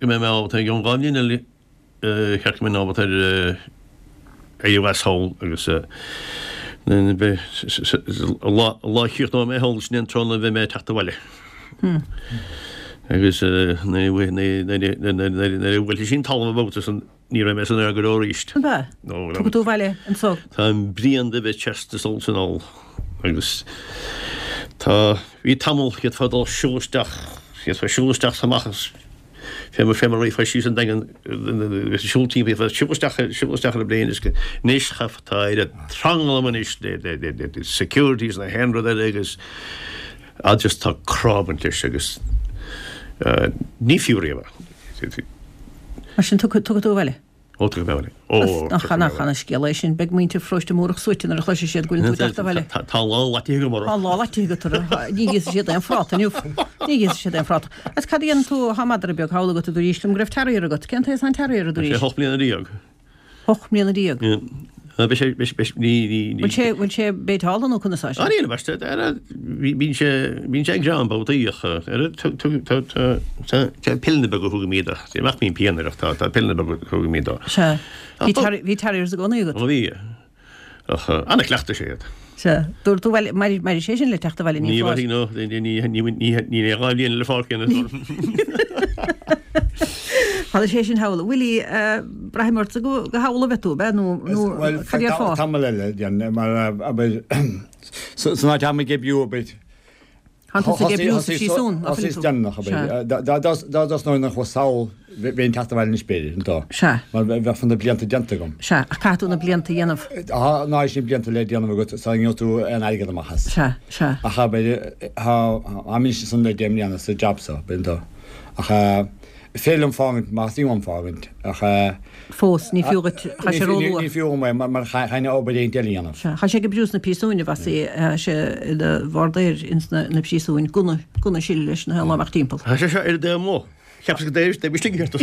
go mbeidh mé ábalta i gceann dhá bhliain eile cheart go mbeinn ábalta ar éirí as thall agus an lá a chríochnóidh mé thall sin é an tráth a bheidh mé ag teacht abhaile. Agus nuair a bhuailfidh sí an talamh an babhta san ní raibh mé san aer go deo arís. An ea? Tiocfaidh tú abhaile anso? Táim bréan de bheith trasna sall is anall agus tá, bhí tamall, d'fhéadfá dul siúl isteach, d'fhéadfá siúl isteach is amach as Fé mar fé mar a rachfá síos an Daingean siúl timpeall siúl isteach siúl isteach ar an bplane is anois cha tá oiread tranglam anois le le le le security is na haon rud eile agus ah just tá crá ag baint leis agus ní fiú riamh é. Mar sin tiocfaidh tú abhaile? Ó tiocfaidh mé abhaile. Ó Nach tiocfaidh mé nach abhaile. ana scéal é sin. Beidh muintir Pharóiste Múrach suaite nuair a chloisfidh siad go bhfuil tú ag teacht abhaile. Tá tá an lá laitithe agam orthu. Tá an lá laitithe agat orthu. Ní íosfaidh siad aon phráta inniu. Ní íosfaidh siad aon phráta. Agus cad a dhéanann tú, tá madra beag thall agat a dúraís liom go raibh terrier agat. Cén t-aois atá an terrier a Tá sé dúraís? hocht mbliana déag. Hocht mbliana déag. Beidh sé, beidh, beidh, ní, ní, ní. Bhfuil sé, bhfuil sé béiteálta nó conas tá sé? Ah, níl, ambaiste, ar, bíonn sé, bíonn sé ag greim babhtaí ach, ar, tá, tá, tá, tá, tá pilleanna beaga a thugaimid dó. Ní nach mbíonn pian air ach tá, tá pilleanna beaga a thugaimid dó. Sea. Bhí Ach tá, terrier, bhí terriers i gcónaí agat? ó bhí. Ach, an-chleachtadh sé iad. Sea. Dúirt tú, bhuel, mairfidh, mairfidh sé sin le teacht abhaile, ní Ní foláir. mhairfidh, no, ní, ní, ní, ní, ní, ní dhá bhliain eile fágtha ina Tharla sé sin thall. Willie, braithim ortsa go thall a bheith tú, ab ea? Nó Bhuel, cad déarfá? tamall eile, déarfainn, mar abair, san áit atá mé ag oibriú, abair, Thánn tusa ag oibriú sa phríosún, ná fuil tú? Déanach, Dá dtosnóinn an chuas sall bheinn teacht abhaile anois b'fhéidir, an dá. Sea. Mar bheadh na blianta déanta agam. Sea, ach caithfidh tú na blianta a dhéanamh. Tá ná sin blianta le déanamh agat sula ngeobhaidh tú aon airgead amach as. Sea, sea. Ach abair, táim anois ansan le deich mbliana sa jab so, b'in dó. Ach féidir liom fágaint más mian liom fágaint ach. Fós, ní fiú dhuit, tá sé róluath. Ní fiú dhom é mar chaithfinn obair éigint eile a dhéanamh. Sea, tá sé ag oibriú sna príosúin a Mhossie, tá sé ina bhardair ins na príosúin, gunna, gunna ag sileadh leis na haon lá amach timpeall. Tá sé seo ar an dtaobh amuigh. Cheapas go dtéis, déim istigh ar do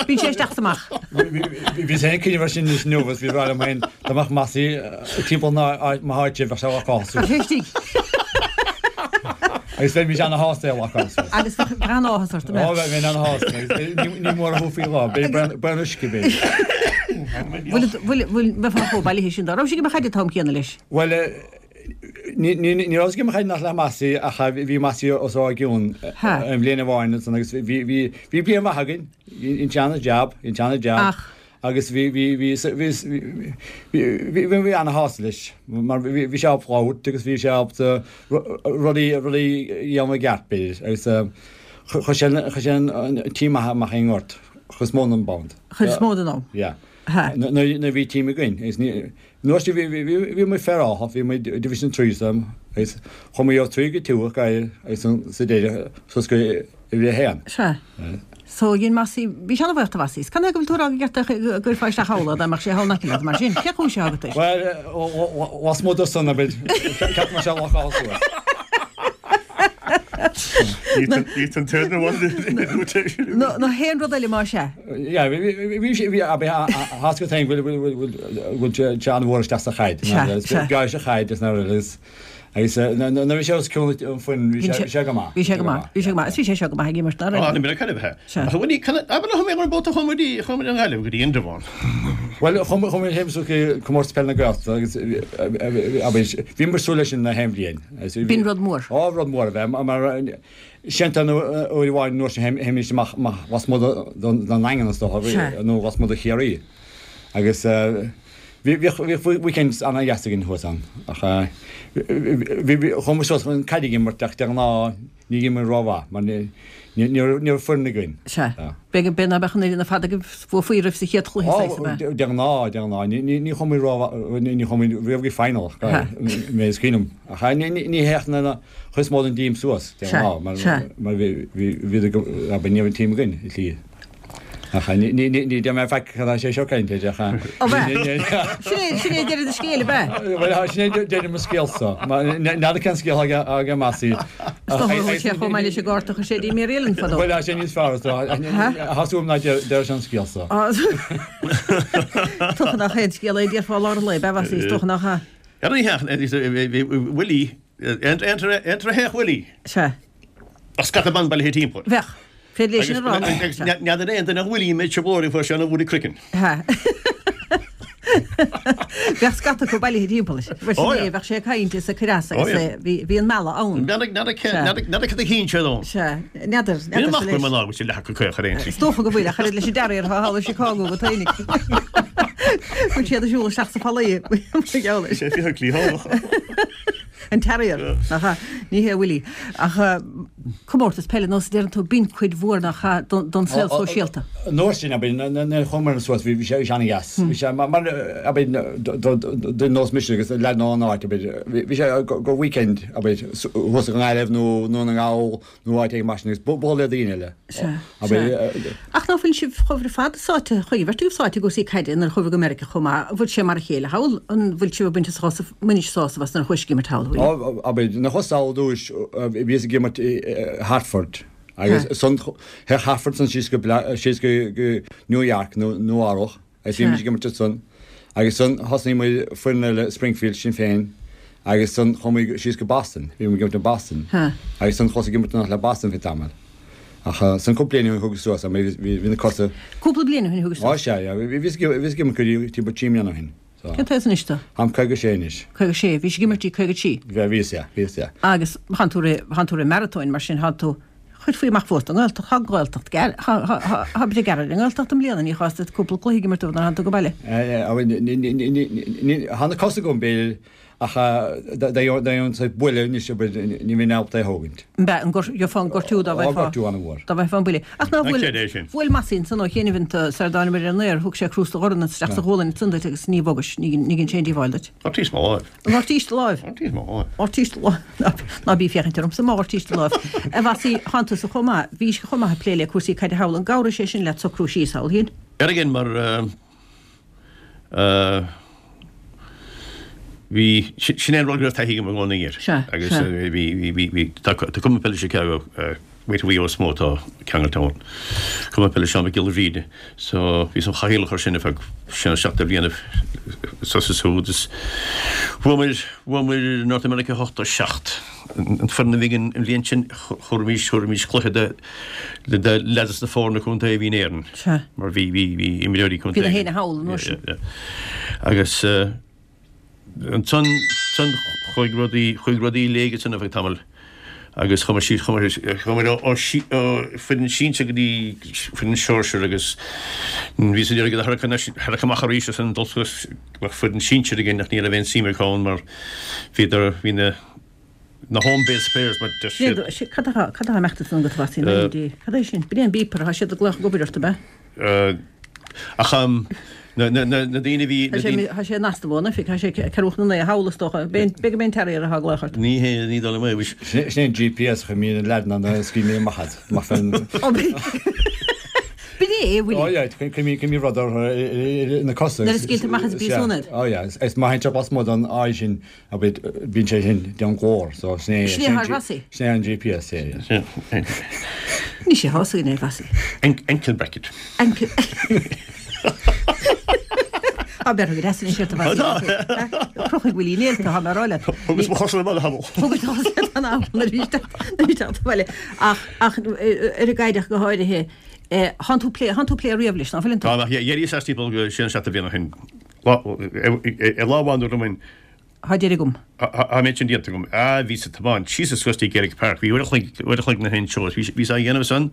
Bíonn sé isteach is amach. Bhíos féin ag cuimhneamh air sin anois inniu agus bhí ag rá liom féin dá mbeadh Mossie timpeall mo háite bheadh sé ag locáil suas. Tá sé istigh. Agus bheimis ana-shásta é a locáil suas. Agus bheadh an-áthas ort, an mbeadh? Ó bheinn ana-shásta agus ní mór a thabharfaí dhó, b'fhéidir braon uisce b'fhéidir. Bhfuil, bhfuil, bhfuil, mbeifeá chomh bailithe sin dá raibh sé ag imirt caide an t-am céanna leis? Bhuel, Ní rabhas ag imirt caide ach le Mossie ach bhí Mossie os ár gcionn an bhliain amháin ansan agus bhí bhí bliain mhaith againn, dhein sé ana-jab, dhein sé ana-jab agus bhí bhí bhí bhí bhí bhí ana-shásta leis mar bhí sé ábalta labhairt agus bhí sé ábalta rudaí rudaí a dhéanamh i gceart b'fhéidir agus chuir sé chuir sé an team maith amach ón ngort chuid is mó den am. Chuid is mó den am. Yeah. Nuair a bhí team againn agus ní Nuair a bhí bhí muid féaráilte, bhí muid Division Three sam agus chuaigh muid ó trí go two agus sa deireadh suas go uimhir a haon. Sea. So dhein Mossie, bhí sé ana-bhuíoch de Mhossie. Is cad é go bhfuil tú ag rá go gceart go gcuirfeá isteach thall é dá mbeadh sé thall in aice leat mar sin? Cén chúis atá agat air? Bhuel, lasmuigh de san, abair, ceapaim go mbeadh sé locáilte suas. Nó haon rud eile más ea. Yeah, bhí sé, bhí, abair, tá 'fhios agat féin go bhfuil, bhfuil sé an-mhór isteach sa chaid. Sea, sea. Breá sa chaid is nuair agus, agus nuair a bhí sé os cionn an foireann bhí sé, bhí sé go maith. Bhí sé go maith, bhí sé go maith. Is bhí sé seo go maith ag imirt, ná raibh? Á, ní cad a bheith. Sea. Ach bhfuil, can, abair chuaigh mé ar an bpota chuaigh muid, chuaigh muid an Ghaillimh go dtí Indreabhán. Bhuel, chuaigh muid féin suas go Comórtas Peile na Gaeltachta agus, abair, bhí muid súil leis sin na haon bhliain. B'in rud mór. Á, rud mór a bheith, mar sin an uair amháin nuair sin théimis amach lasmuigh den nDaingean is dócha, nó lasmuigh de Chiarraí. Agus bhíodh weekends ana-dheas againn thuas ann. Ach chuaigh muid suas chun caid ag imirt ach de ghnáth ní bhíodh muid rómhaith mar ní raibh foireann againn. Sea. B'fhéidir ná beadh an fhoireann ar fad agaibh bhuafaí oraibh sa chéad chluiche saghas ab ea? De ghnáth, de ghnáth. Ní chuaigh muid rómhaith, ní chuaigh muid riamh go final, mé is cuimhin liom. Ach ní théadh na chuid is mó den dteam suas, de ghnáth, mar bhí, bhí, ní raibh an team againn, i slí. Ach ní deir mé faic cad é sé seo caint ach Ó bheith. Sin é sin é deireadh do scéil, ab ea? Bhuel sin é deireadh mo scéalsa. N'fheadar cén scéal aige Mossie. Is dócha go bhfuil sé chomh maith leis an gcárta a chuir sé dtí Mary Ellen fadó. Bhuel sé níos fearr is dócha. Tá súil agam ná deir sé an scéal so. Is dócha nach aon scéal é a déarfá i lár an lae, ab ea Mhossie? Is dócha nach ea. Ar an oíche Willie, aon théadh Willie. Sea. Ach scata ban bailithe timpeall. Bheadh. Féidir léi sin a rá. Agus n'fheadar aon duine a bhfuil mé sa bhóthar fuair sé ina bhualadh craicinn. Bheadh scata acu bailithe timpeall air. Bhuel, sin é, bheadh sé ag caint is ag cur as agus bhí an mealladh ann. N'fheadar cad a chinn sé ann. Sea, n'fheadar, n'fheadar. Bhí amach go mná agus leath acu caoch ar aon Is dócha go bhfuil, ach oiread leis an deartháir atá thall i Chicago go taoinig. Bhfuil siad ag siúl isteach sa fallaí, mar gheall air. Sé fiche cliathánach. An Terrier, nach ea? Ní hé Willie. Ach comórtas peile, nós a deireann tú, b'in cuid mhór, nach ea, don saol sóisialta. An uair sin, abair, nuair a chuamar suas, bhí sé an-dheas. Bhí sé mar, abair, duine nós mise agus leaid ón áit, abair, bhí sé go weekend, abair, thuas i nGaillimh nó i nDún na nGall nó áit éigin mar sin agus bualadh le daoine eile. Sea, sea. Ach ná fuil sibh chuaibh ar fad sáite, chuaigh an bheirt agaibh sáite i gcúrsaí caide nuair a chuabhair go Meiriceá chomh maith, an bhfuil sé mar a chéile thall? An bhfuil sibh ag baint sásamh, mbainis sásamh as nuair a chuais ag imirt thall, a Willie? Abair, nuair a chuas thall ar dtúis, bhíos ag imirt i Hartford agus san, théadh Hartford san síos go, síos go New York nó Nua-Eabhrac agus bhí muid ag imirt ansan agus san thosnaigh muid foireann eile Springfield Sinn Féin agus san chuaigh muid síos go Boston, bhí muid ag imirt i Boston agus san chuas ag imirt le Boston fé tamall. Ach san cúpla bliain ó shin thugas suas, bhí na cosa. Cúpla bliain ó shin thugas suas? Á sea, yeah, bhíos ag imirt go dtí timpeall trí mbliana ó shin. Cén t-aois anois tú? Táim caoga sé anois. Caoga sé, bhís ag imirt dtí caoga trí? Bhí, bhíos, yeah, bhíos, yeah. Agus thánn tú rith, thánn tú rith maratóin mar sin, thánn tú, chuirfí amach fós don nGaeltacht, tá an Ghaeltacht gearr, tá, tá, tá, tá breith gearr ar an nGaeltacht i mbliana, ní chás duit cúpla cluiche ag imirt nuair a thánn tú go baile. Tá na cosa agam, b'fhéidir, Ach dá an buille anois ní bheinn ábalta é a thógaint. Be, an gheofá an gortú dá bheifeá. Gortú an-mhór. Dá bheifeá an buille. Ach ná bhuail, bhuail Mossie ansan ó chianaibh iontu sar a dtánamair ar an aer, thug sé crústa dhorn isteach sa ghualainn ansan duit agus ní bhogais, ní dhein sé aon díobháil duit. Ghortaíos mo láimh. An ghortaís do láimh? Ghortaíos mo láimh. Ghortaís do láimh. Ná bí ag féachaint ormsa má ghortaís do láimh. A Mhossie, thánn tusa chomh maith, bhís chomh maith ag plé le cúrsaí caide thall, an gcabhraigh sé sin leat socrú síos thall, shín? Ar again mar Bhí, sin é an rud go raibh taithí agam i gcónaí air. Sea, Agus sea. bhí, bhí, bhí, bhí, tá, tá Cumann Peile Chicago, Muintir Mhaigh Eo is mó atá ceangailte ann. Cumann Peile Seán Mac Giolla Bhríde. So, bhíos im chathaoirleach air sin ar feadh sé nó seacht de bhlianaibh soss is siúd is bhuamar, bhuamar North America ochtó seacht. An foireann a bhí againn an bhliain sin, thabharfaimis, thabharfaimis cluiche de, de, de leaids na foirne contae a bhí in Éirinn. Sea. Mar bhí, bhí, bhí imreoirí contae. Bhí na héinne thall an uair sin. Yeah, yeah. Agus, eh, Ansan chuaigh rudaí, chuaigh rudaí i léig ansan ar feadh tamaill agus chuamar síos, chuamar, chuamar ó, ó foireann sinsir go dtí foireann sóisir agus bhíos ag iarraidh iad a tharrac anois, tharrac amach arís ansan dul suas go mbeadh foireann sinsir againn ach ní raibh aon suim acu ann mar bhíodar, bhí na, na home based players mar deir siad. Cad atá, cad atá ag imeacht ansan agat a Mhossie, na D? Cad é sin? B'in é an beeper, tá siad ag glaoch ag obair ort, ab ea? Ach na daoine a bhí. Tá sé in Astamón, oifig, tá sé ceathrú chun a naoi thall is dócha. B'fhéidir gurb é an terrier atá ag glaoch ort. Ní hé, ní dóigh liom é. Sin é an GPS a choimeád na leaideanna a scaoil mé amach as. Amach fén. B'in é, a Willie. Ó yeah, coimeád rud orthu na cosa. Nuair a scaoiltear amach as an bpríosún iad. Ó yeah, is má théann sé lasmuigh den áit sin, bíonn sé sin déanamh glór, so sin é. Sin é atá ar Mhossie. Sin é an GPS, yeah, yeah. Ní sé thá againn é, Mhossie. Ankle bracket. Ankle. Tá beirthe go deas anois ort, a Mhossie. Crocfaidh Willie néalta, tá mé a rá leat. Thugas mo chosa le baile thall. Thugas do chosa le an am arís teacht abhaile. Ach, ach ar an gcaid ach go háirithe, thánn tú plé, thánn tú plé riamh leis, ná fuileann tú? Tá, ach dheireadh as timpeall go sé nó seacht de bhliain ó shin. Lá, lá amháin dúirt liom féin, Thá deireadh agam. Thá an méid sin déanta agam. Ah, bhíos ag tiomáint síos is suas dtí Gaelic Park. Bhí uair a chloig, uair a chloig na haon seó. Bhí, bhíos á dhéanamh san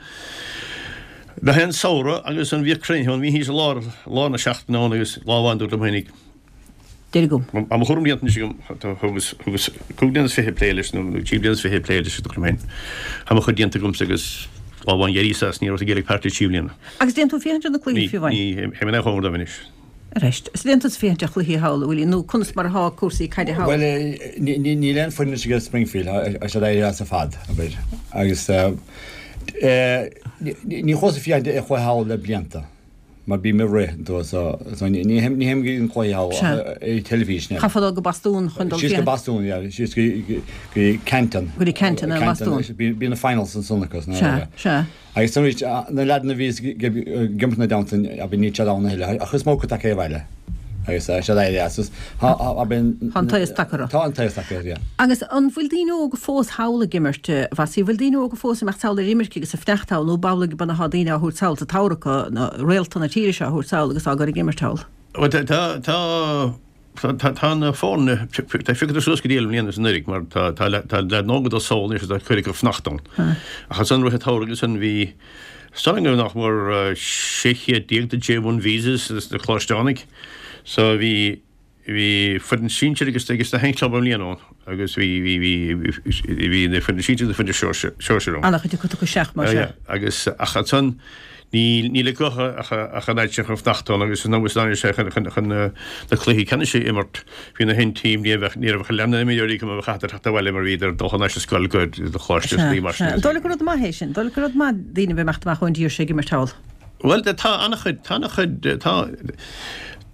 na haon samhradh agus an bhíodh cruinnithe ann. Bhí thíos i lár, lár na seachtaine ann agus lá amháin dúirt liom féinig. Deireadh agam. Tá mo chúram déanta anois agam. Thugas, thugas cúig bliana is fiche ag plé leis nó trí bliana is fiche ag plé leis, dúirt liom féin. Tá mo chuid déanta agamsa agus lá amháin d'éiríos as, ní rabhas i Gaelic Park le trí bliana. Agus déann tú féachaint ar na cluichí Ní, fiú amháin? ní, théim in aon chóngar dóibh anois. Arís, is déann tusa féachaint ar chluichí thall, a Willie, nó conas mar atá cúrsaí caide thall? Bhuel, níl aon foireann anois ag Springfield, tá siad éirithe as ar fad, abair. Agus ní chuas ag féachaint ar chluiche thall le blianta, mar bím ag rith, so ní théim go dtí an cluiche thall ach ar an teilifís. Chaithfeá dul go Bostún chun dul Síos go Bostún, yeah, síos go Canton. Go dtí Canton i mBostún. Bíonn na finals ansan acu. Sea, sea. Agus arís, na leaideanna a bhíos ag imirt ina dteannta, abair, níl siad ann a thuilleadh, ach is mó acu tagtha abhaile. Agus tá siad éirithe as. Tá, abair. Tá an t-aos tagtha orthu. Tá an t-aos tagtha orthu, yeah. Agus an bhfuil daoine óga fós thall ag imirt, a Mhossie? Bhfuil daoine óga fós ag imeacht sall ar imirce agus ag fanacht thall, nó b'amhlaidh go mb'ionann atá daoine á thabhairt sall sa tsamhradh acu, na réalta na tíre seo á thabhairt sall agus á gcur ag imirt thall? Bhuel, tá, tá, Tá tá na foirne, tá phiocadar suas go diail i mbliana is anuraidh mar tá tá tá leaideanna óga ag dul sall anois atá cuid acu ag fanacht ann. Ach ansan rith an tsamhraidh ansan bhí is dóigh liom nach mór sé chéad déag de J one visas sna Coláisteánaigh so bhí bhí foireann sinsir agus agus na haon club i mbliana ann agus bhí bhí bhí bhí na foireann sinsir agus na foireann sóisir ann. An-chuid acu tugtha isteach mar sea. Agus ach ansan Níl acu ach an oiread sin chun fanacht ann agus is ndóigh sé chun na cluichí ceannais a imirt. Bhí na haon team, ní raibh ach leath na n-imreoirí acu a chaithfeadar teacht abhaile mar bhíodar ag dul thar n-ais ar scoil go coláiste is mar sin. An dóigh leat gur rud maith é sin? An dóigh leat gur rud maith daoine a bheith ag imeacht amach ón dtír seo ag imirt thall? Bhuel, tá an-chuid, tá an-chuid, tá,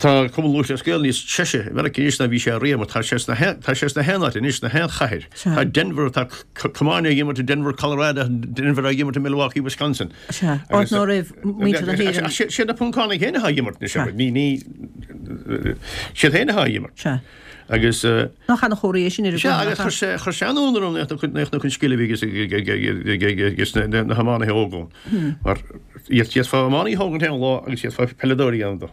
tá Cumann Lúthchleas Gael níos treise i Meiriceá anois ná bhí sé riamh mar tá sé sna tá sé sna haon áit anois, sna haon chathair. Tá Denver, tá camáin ag imirt i Denver, Colorado, Denver ag imirt i Milwaukee, Wisconsin. Sea, áit ná raibh muintir na hÉireann. Ach siad na Poncánaigh féin atá ag imirt anois, ní, ní, siad féin atá ag imirt. Sea. Agus. Nach ana-chomhartha é sin ar an Sea, agus chuir sé, chuir sé an-ionadh orm nach an scil a bhí aige na hiománaithe óga ann. Mar d'fhéadfá iománaí a thógaint aon lá agus d'fhéadfá peileadóir a dhéanamh dó.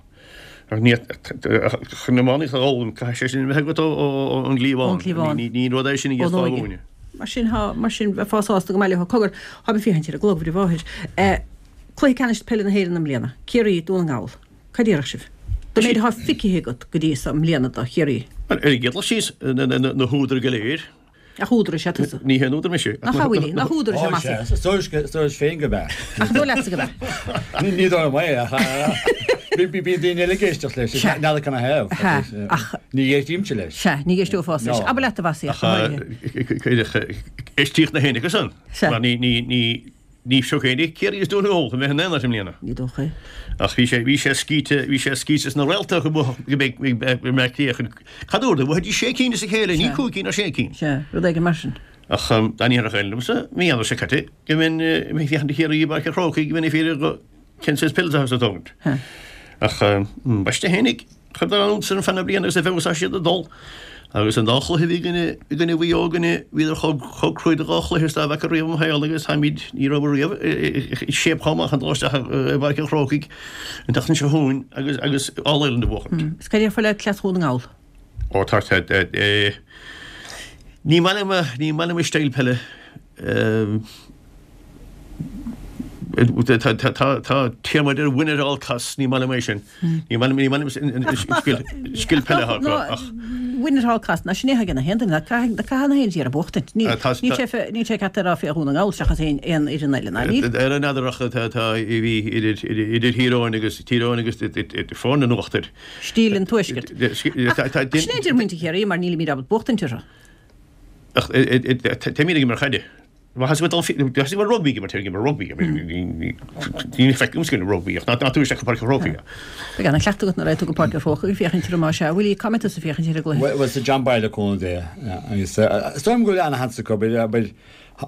Ach ní, chun iománaíocht a fhoghlaim, caithfidh sé sin a bheith agat ón gcliabhán. Ón gcliabhán. Ní rud é sin a Ón d'fhéadfá a óige. mhúineadh. Mar sin, thá, mar sin, bheifeá sásta go mbaileofá cogar, thá mé ag féachaint ar an gclog, bhur mháthair. Cluiche ceannais peile na hÉireann i mbliana, Ciarraí, Dún na nGall. Cad déarfadh sibh? Don méid atá feicthe agat go dtí so i mbliana do Chiarraí. Ar an gcéad dul síos, na húdair go léir. Ach údar is ea tusa. Ní haon údar mise. Nach ea, Willie? Nach údar is ea Mossie? Ó, sea. Is dóigh féin gurb ea. Ach dóigh leatsa gurb ea. Ní dóigh liom é, ach bíonn daoine eile ag éisteacht leis. Sea. N'fheadar canathaobh. Sea, ach. Ní éistímse leis. Sea, ní éisteofása leis. Abair leat, a Mhossie, ach go háirithe. Éistíodh na héinne acu san. Sea. Mar ní, ní, ní. Ní seo é Ciarraí is Dún na nGall chun bheith in aon áit i mbliana. Ní dócha é. Ach bhí sé, bhí sé scaoite, bhí sé scaoite sna réalta go mbeadh, go mbeidh, go mbeadh Cliath chun, cad uair, bhuafaidís sé cinn as a chéile, ní cúig cinn ach sé cinn. Sea, rud éigin mar sin. Ach dá ndéarfadh éinne liomsa, mí Eanáir seo caite, go mbeinn, mé ag féachaint do Chiarraí i bPáirc an Chrócaigh, go mbeinn ag fiafraí go, cén saghas pills atá ag tógaint. Ach ambaiste fhéinig, chuireadar an-iontas orm feadh na bliana agus a bheag is atá siad ag dul. Agus an dá chluiche a bhí againne, i gcoinne Mhaigh Eo againne, bhíodar chomh, chomh cruaidh do dhá chluiche is dá bhfeaca riamh i mo shaol agus táimid, ní rabhamar riamh i shape chomh maith chun dul isteach i bPáirc an Chrócaigh an tseachtain seo chugainn agus, agus All Ireland a bhuachaint. Is cad a déarfá le cleas Dhún na nGall? Ó tá, tá, eh, ní maith liom, ní maith liom a stíl peile. Tá téarma a deir win at all costs, ní maith liom é sin. Ní maith liom, ní maith liom an scil, scil peile atá acu ach. Win at all costs, ná sin é atá ag na haon duine, caithfidh na haon tír a buachtaint. Níl sé, níl sé ceart a rá fé Dhún na nGall seachas aon aon fhoireann eile, ná níl? Ar an fheadar ach tá, tá, bhí idir, idir Thír Eoghain agus, Tír Eoghain agus foirne an uachtair. Stíl an Tuaiscirt. Ach sin é a deir muintir Chiarraí mar nílimid ábalta buachtaint orthu. Ach táimid ag imirt caide. Thosaigh mé dul thosaigh mé rugbaí ag imirt ag imirt rugbaí ní feicim scil rugbaí ach ná tú isteach go Páirc an Chrócaigh. Beidh ana-chleachtadh agat nuair a raghaidh tú go Páirc an Chrócaigh ag féachaint orthu más ea. Willie, cá mbeidh tusa ag féachaint ar an gcluiche? Bhuel sa John Boyle le cúnamh Dé agus is dóigh liom go bhfuil ana-sheans acu but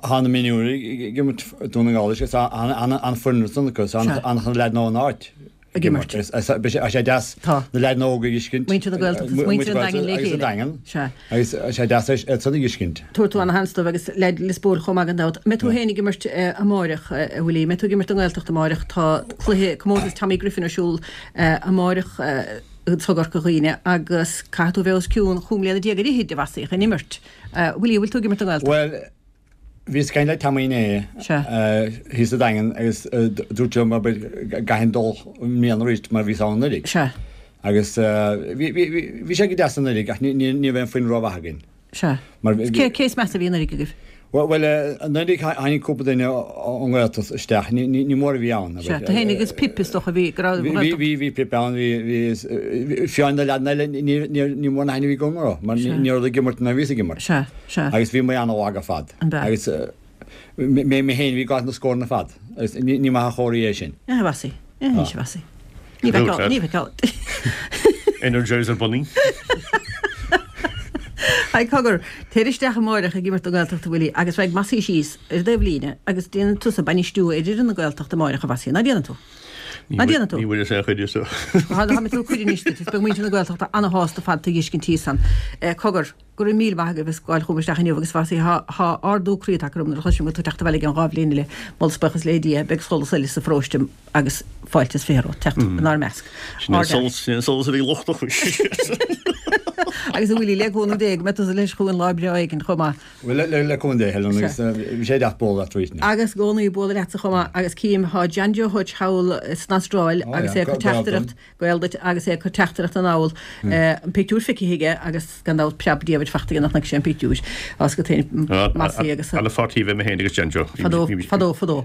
tá na mionúirí ag imirt Dún na nGall is an-fhoireann ansan acu is an-chuid leaideanna ón áit. ag imirt. Tá sé deas Tá. na leaideanna óga a fheiscint. Muintir na Gaeltachta is muintir an Daingin le Agus chéile. an Daingean. Sea. Agus tá sé deas iad san a fheiscint. Tabharfaidh tú ana-sheans dóibh agus leaid Lios Póil chomh maith gan dabht. Mbeidh tú féin ag imirt amáireach, a Willie? Mbeidh tú ag imirt don nGaeltacht amáireach? Tá cluiche, comórtas Tommy Griffin ar siúl amáireach anso i gCorca Dhuibhne agus caithfidh tú a bheith os cionn chúig mbliana déag ar fhichid, a Mhossie, chun imirt. Willie, an bhfuil tú ag imirt don nGaeltacht? Bhuel, Bhíos ag caint le Tommy inné thíos sa Daingean agus dúirt sé liom go gcaithfinn dul i mbliana arís mar bhíos ann anuraidh. Sea. Agus bhí sé go deas anuraidh ach ní raibh aon foireann rómhaith againn. Sea. Cé cé is measa a bhí anuraidh agaibh? Bhuel, anuraidh tháinig cúpla duine ón nGaeltacht isteach, ní mór a bhí ann. Sea, tú féin agus Pip is dócha a bhí, go raibh Bhí, bhí, bhí Pip ann, bhí, bhí, fiú na leaideanna eile, ní mór na haithne a bhí agam orthu mar ní raibh ag imirt nuair a bhíos ag imirt. Sea. Sea. Agus bhí muid an-lag ar fad. An b'ea? Agus mé mé féin a bhí ag fáilt na scóranna ar fad. Agus ní ní maith an chomhartha é sin. A Mhossie. Anois a Mhossie. Ní bheadh ní bheadh Energizer Bunny. Haigh cogar, téir isteach amáireach ag imirt don Ghaeltacht a Willie agus beidh Mossie síos ar an dtaobhlíne agus déanann tusa bainistiú ar fhoireann na Gaeltachta amáireach a Mhossie, ná déanann tú? Ná déanann tú? Ní bhfuil fhios aon chuid de. Tá mé ag tabhairt cuireadh anois duit, is beidh muintir na Gaeltachta ana-shásta fad tú a dh'fheiscint thíos ann. Cogar, Go raibh míle maith agaibh as gabháil chugam isteach inniu agus Mhossie, thá, thá ardú croí tagtha orm nuair a chloisim go bhfuil tú ag teacht abhaile i gceann dhá bhliain eile, moladh is buíochas le Dia, beidh solas eile sa pharóiste agus fáilte is fiche romhat teacht inár measc. Sin é an solas, sin é an solas a bhí lochtach. Agus a Willie, le cúnamh Dé, go mbeidh tusa leis chugainn lá breá éigin chomh maith. Bhuel, le, le cúnamh Dé, Helen, agus bhí sé deas bualadh leat arís. Agus i gcónaí bualadh leatsa chomh maith agus cím, thá John Joe Hutch thall san Astráil agus é ag cur teachtaireacht, Gael duit agus é ag cur teachtaireacht anall, an pictiúr feicthe aige agus gan dabht preab diabhail fachta aige nach bhfeic sé an pictiúr. Tá 's agat féin Mossie agus. Ana pháirtí a bheith mé féin agus John Joe. Fadó, fadó, fadó.